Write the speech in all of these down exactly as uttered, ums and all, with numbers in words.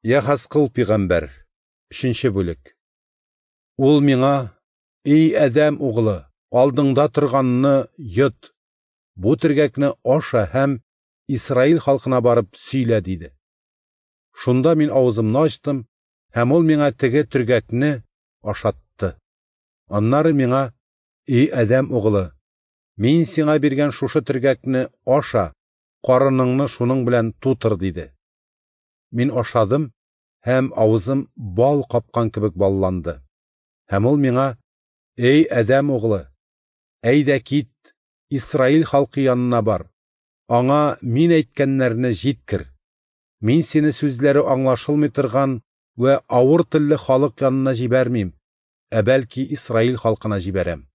Яхәзкыл пигамбәр, өченче бүлек. Ул миңа: "Эй Адәм углы, алдыңда торганны йот, бу төргәкне аша һәм Исраил халкына барып сөйлә", – диде. Шунда мин авызымны ачтым, һәм ул миңа теге төргәкне ашатты. Аннары миңа: "Эй Адәм углы, мин сиңа биргән шушы төргәкне аша, карыныңны шуның белән тутыр", – диде. Мин ашадым, һәм авызым бал капкан кебек балланды. Һәм ул миңа: "Эй Адәм углы, әйдә кит, Исраил халкы янына бар, аңа мин әйткәннәрне җиткер. Мин сине сүзләре аңлашылмый торган вә авыр телле халык янына җибәрмим, ә бәлки Исраил халкына җибәрәм.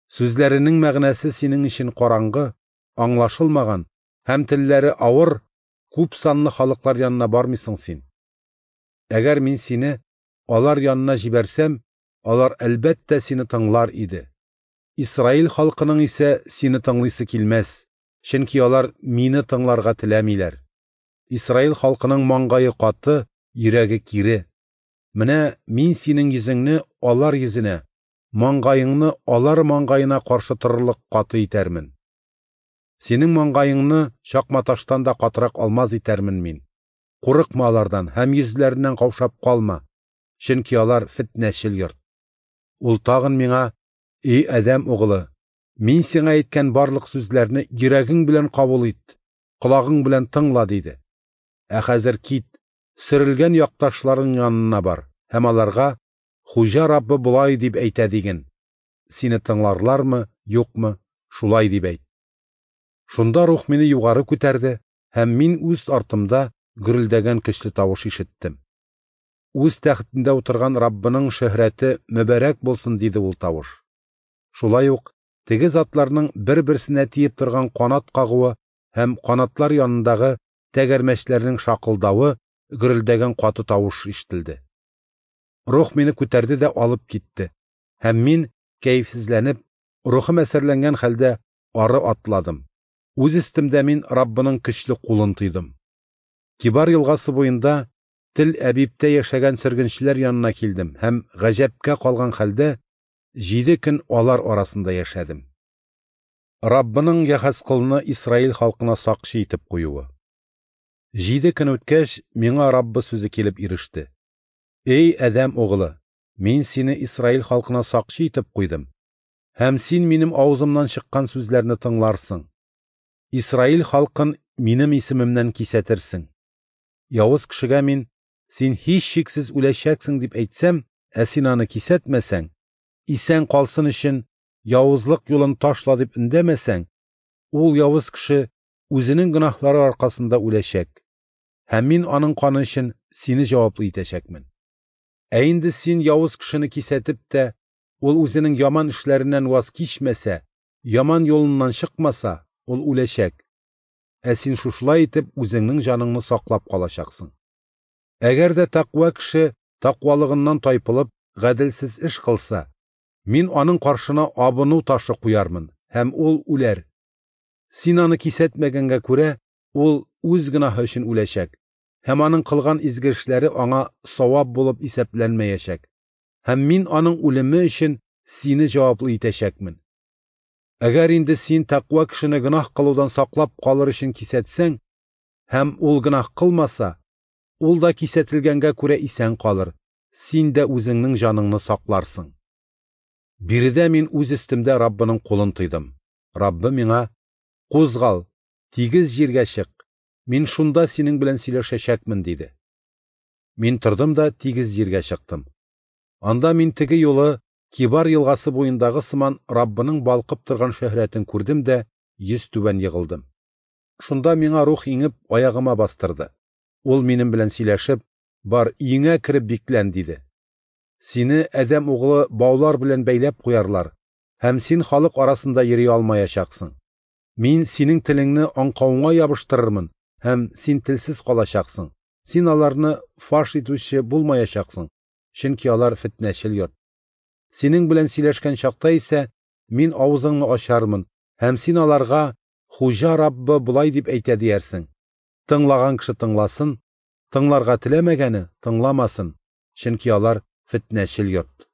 Сүзләренең мәгънәсе синең өчен караңгы, аңлашылмаган һәм телләре авыр, күп санлы халыклар янына бармыйсың син. Әгәр мин сине алар янына җибәрсәм, алар әлбәттә сине тыңлар иде. Исраил халкының исә сине тыңлыйсы килмәс, чөнки алар мине тыңларга теләмиләр. Исраил халкының маңгае каты, йөрәге кире. Менә мин синең йөзеңне алар йөзенә, маңгаеңны алар маңгаена каршы торырлык каты итәрмен. Синең маңгаеңны чакматаштан да катырак алмаз итәрмен мин. Курыкма алардан һәм йөзләреннән каушап калма, чөнки алар фетнәчел йорт". Ул тагын миңа: "Эй Адәм углы, мин сиңа әйткән барлык сүзләрне йөрәгең белән кабул ит, колагың белән тыңла", – диде. "Ә хәзер кит, сөрелгән якташларың янына бар һәм аларга: Хуҗа Раббы болай дип әйтә диген. Сине тыңларлармы, юкмы, шулай дип әйт". Шунда рух мине югары күтәрде, һәм мин үз артымда гөрелдәгән көчле тавыш ишеттем. "Үз тәхетендә утырган Раббының шөһрәте мөбарәк булсын", – диде ул тавыш. Шулай ук теге затларның бер-берсенә тиеп торган канат кагуы һәм канатлар янындагы тәгәрмәчләрнең шакылдавы гөрелдәгән каты тавыш ишетелде. Рух мине күтәрде дә алып китте, һәм мин, кәефсезләнеп, рухым әсәрләнгән хәлдә ары атладым. Үз өстемдә мин Раббының көчле кулын тойдым. Кибар елгасы буенда Тел Әбибтә яшәгән сөргенчеләр янына килдем һәм гаҗәпкә калган хәлдә җиде көн алар арасында яшәдем. Раббының Яхәзкылны Исраил халкына сакчы итеп куюы. Җиде көн үткәч, миңа Раббы сүзе килеп иреште. "Эй Адәм углы, мин сине Исраил халкына сакчы итеп куйдым, һәм син минем авызымнан чыккан сүзләрне тыңларсың. Исраил халкын минем исемемнән кисәтерсең. Явыз кешегә мин: син һичшиксез үләчәксең дип әйтсәм, ә син аны кисәтмәсәң, исән калсын өчен явызлык юлын ташла дип өндәмәсәң, ул явыз кеше үзенең гөнаһлары аркасында үләчәк, һәм мин аның каны өчен сине җаваплы итәчәкмен. Ә инде син явыз кешене кисәтеп тә, ул үзенең яман эшләреннән ваз кичмәсә, яман юлыннан чыкмаса, ул үләчәк. Ә син шушылай итеп үзеңнең җаныңны саклап калачаксың. Әгәр дә тәкъва кеше тәкъвалыгыннан тайпылып гаделсез эш кылса, мин аның каршына абыну ташы куярмын, һәм ул үләр. Син аны кисәтмәгәнгә күрә, ул үз гөнаһы өчен үләчәк, һәм аның кылган изге эшләре аңа савап булып исәпләнмәячәк, һәм мин аның үлеме өчен сине җаваплы итәчәкмен. Әгәр инде син тәкъва кешене гөнаһ кылудан саклап калыр өчен кисәтсәң, һәм ул гөнаһ кылмаса, ул да кисәтелгәнгә күрә исән калыр, син дә үзеңнең җаныңны сакларсың". Биредә мин үз өстемдә Раббының кулын тойдым. Раббы миңа: "Кузгал, тигез җиргә чык, мин шунда синең белән сөйләшәчәкмен", – диде. Мин тордым да тигез җиргә чыктым. Анда мин теге юлы Кибар елгасы буендагы сыман Раббының балкып торган шөһрәтен күрдем дә йөз түбән егылдым. Шунда миңа рух иңеп аягыма бастырды. Ул минем белән сөйләшеп: "Бар, өеңә кереп биклән", – диде. "Сине, Адәм углы, баулар белән бәйләп куярлар, һәм син халык арасында йөри алмаячаксың. Мин синең телеңне аңкавыңа ябыштырырмын, һәм син телсез калачаксың. Син аларны фаш итүче булмаячаксың, чөнки алар фетнәчел йорт. Синең белән сөйләшкән чакта исә мин авызыңны ачармын, һәм син аларга: Хуҗа Раббы болай дип әйтә диярсең. Тыңлаган кеше тыңласын, Тыңларга теләмәгәне тыңламасын, чөнки алар фетнәчел йорт.